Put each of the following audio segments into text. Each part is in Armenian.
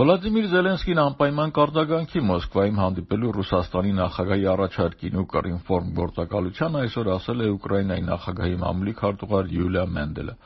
Վլադիմիր Զելենսկին անպայման կարձագանքի Մոսկվայում հանդիպելու Ռուսաստանի նախագահի առաջարկին ու կռինֆորմ գործակալության այսօր ասել է Ուկրաինայի նախագահի մամուլի քարտուղար Յուլիա Մենդելը։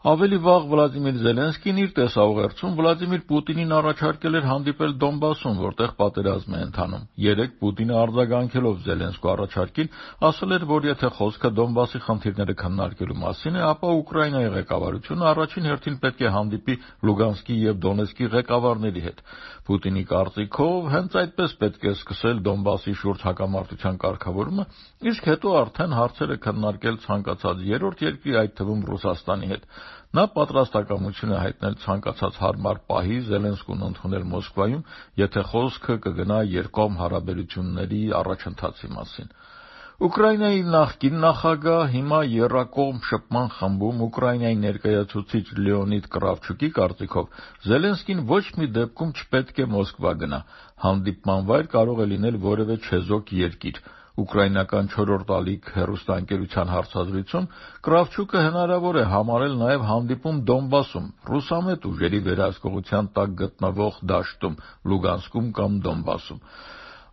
Ավելի վաղ Վլադիմիր Զելենսկին իր տեսաուղերձում Վլադիմիր Պուտինին առաջարկել էր հանդիպել Դոնբասում, որտեղ պատերազմ է ընթանում։ Երեկ Պուտինը արձագանքելով Զելենսկու առաջարկին ասել էր, որ եթե խոսքը Դոնբասի խնդիրները քննարկելու մասին է, ապա Ուկրաինայի ղեկավարությունը առաջին հերթին պետք է հանդիպի Լուգանսկի եւ Դոնեցկի ղեկավարների հետ։ Պուտինի կարծիքով հենց այդպես պետք է սկսել Դոնբասի շուրջ հակամարտության կարգավորումը, իսկ հետո արդեն հարցերը քննարկել ցանկացած երրորդ երկրի, այդ թվում Ռուսաստանի հետ։ Նա պատրաստակամություն է հայտնել ցանկացած հարմար պահի Զելենսկուն ընդունել Մոսկվայում, եթե խոսքը կգնա երկկողմ հարաբերությունների առաջընթացի մասին։ Ուկրաինայի նախկին նախագահ, հիմա եռակողմ շփման խմբում Ուկրաինայի ներկայացուցիչ Լեոնիդ Կրավչուկի կարծիքով Զելենսկին ոչ մի դեպքում չպետք է Մոսկվա գնա։ Հանդիպման վայր կարող է լինել որևէ չեզոք երկիր։ Ուկրաինական 4-րդ ալիք հեռուստաընկերության հարցազրույցում Կրավչուկը հնարավոր է համարել նաև հանդիպում Դոնբասում, ռուսամետ ուժերի վերահսկողության տակ գտնվող դաշտում, Լուգանսկում կամ Դոնբասում։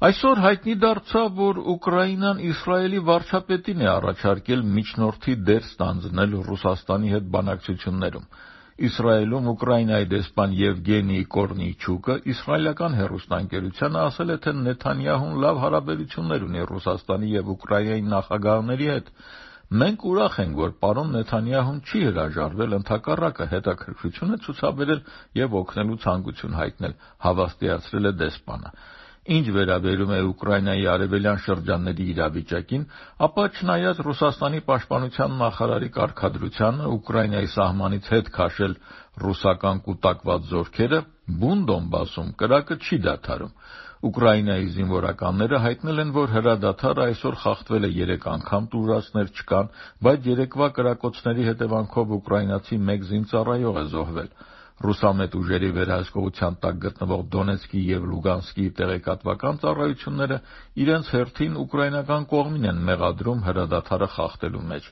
Այսօր հայտնի դարձավ, որ Ուկրաինան Իսրայելի վարչապետին է առաջարկել միջնորդի դեր ստանձնել Ռուսաստանի հետ բանակցություններում։ Իսրայելում Ուկրաինայի դեսպան Եվգենի Կորնիչուկը իսրայելական հեռուստաընկերությանը ասել է, թե Նեթանյահուն լավ հարաբերություններ ունի Ռուսաստանի եւ Ուկրաինայի նախագահների հետ։ Մենք ուրախ ենք, որ պարոն Նեթանյահուն չի հրաժարվել, ընդհակառակը հետաքրքրություն է ցուցաբերել եւ օգնելու ցանկություն հայտնել, հավաստիացրել է դեսպանը։ Ինչ վերաբերում է Ուկրաինայի արևելյան շրջանների իրավիճակին, ապա չնայած Ռուսաստանի պաշտպանության նախարարի կարգադրությանը Ուկրաինայի սահմանից հետ քաշել ռուսական կուտակված զորքերը, բուն Դոնբասում կրակը չի դադարում։ Ուկրաինայի զինվորականները հայտնել են, որ հրադադարը այսօր խախտվել է 3 անգամ, տուժածներ չկան, բայց երեկվա կրակոցների հետևանքով ուկրաինացի 1 զինծառայող է զոհվել։ Ռուսամետ ուժերի վերահսկողության տակ գտնվող Դոնեցկի եւ Լուգանսկի տեղեկատվական ծառայությունները իրենց հերթին ուկրաինական կողմին են մեղադրում հրադադարը խախտելու մեջ։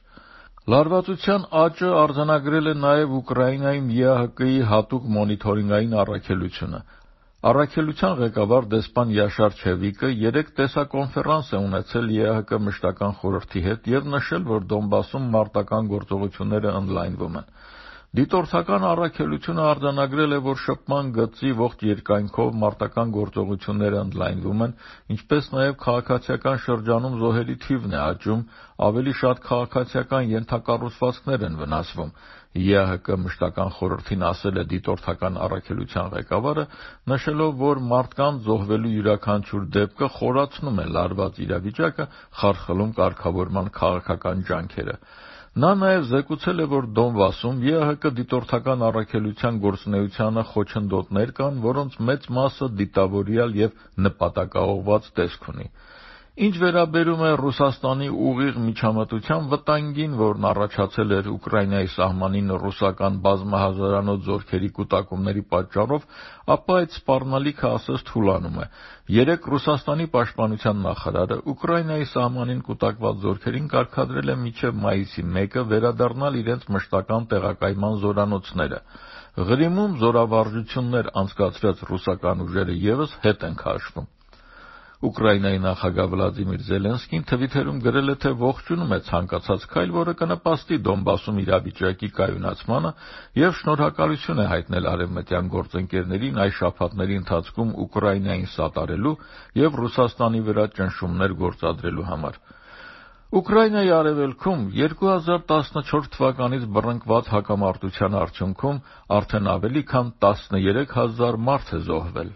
Լարվածության աճը արձանագրել է նաև Ուկրաինայում ԵԱՀԿ-ի հատուկ մոնիթորինգային առաքելությունը։ Առաքելության ղեկավար դեսպան Յաշար Չևիկը երեկ տեսակոնֆերանս է ունեցել ԵԱՀԿ մշտական խորհրդի հետ եւ նշել, որ Դոնբասում մարտական գործողությունները ընդլայնվում են։ Դիտորդական առաքելությունը արձանագրել է, որ շփման գծի ողջ երկայնքով մարտական գործողությունները ընդլայնվում են, ինչպես նաև քաղաքացիական շրջանում զոհերի թիվն է աճում, ավելի շատ քաղաքացիական ենթակառուցվածքներ են վնասվում։ ԵԱՀԿ մշտական խորհրդին ասել է դիտորդական առաքելության ղեկավարը, նշելով, որ մարդկանց զոհվելու յուրաքանչյուր դեպքը խորացնում է լարված իրավիճակը, խարխլում կարգավորման քաղաքական ջանքերը։ Նա նաև զեկուցել է, որ Դոնբասում ԵԱՀԿ դիտորդական առաքելության գործունեությանը խոչընդոտներ կան, որոնց մեծ մասը դիտավորյալ եւ նպատակաուղղված տեսք ունի։ Ինչ վերաբերում է Ռուսաստանի ուղիղ միջամտության վտանգին, որն առաջացել էր Ուկրաինայի սահմանին ռուսական բազմահազարանոց զորքերի կուտակումների պատճառով, ապա այդ սպառնալիքը ասես թուլանում է։ Երեկ Ռուսաստանի պաշտպանության նախարարը Ուկրաինայի սահմանին կուտակված զորքերին կարգադրել է մինչև մայիսի 1-ը վերադառնալ իրենց մշտական տեղակայման զորանոցները։ Ղրիմում զորավարժություններ անցկացրած ռուսական ուժերը ևս հետ են քաշվում։ Ուկրաինայի նախագահ Վլադիմիր Զելենսկին Թվիթերում գրել է, թե ողջունում է ցանկացած քայլ, որը կնպաստի Դոնբասում իրավիճակի կայունացմանը եւ շնորհակալություն է հայտնել արևմտյան գործընկերներին այս շաբաթների ընթացքում Ուկրաինային սատարելու եւ Ռուսաստանի վրա ճնշումներ գործադրելու համար։ Ուկրաինայի արևելքում 2014 թվականից բռնկված հակամարտության արդյունքում արդեն ավելի քան 13,000 մարդ է զոհվել։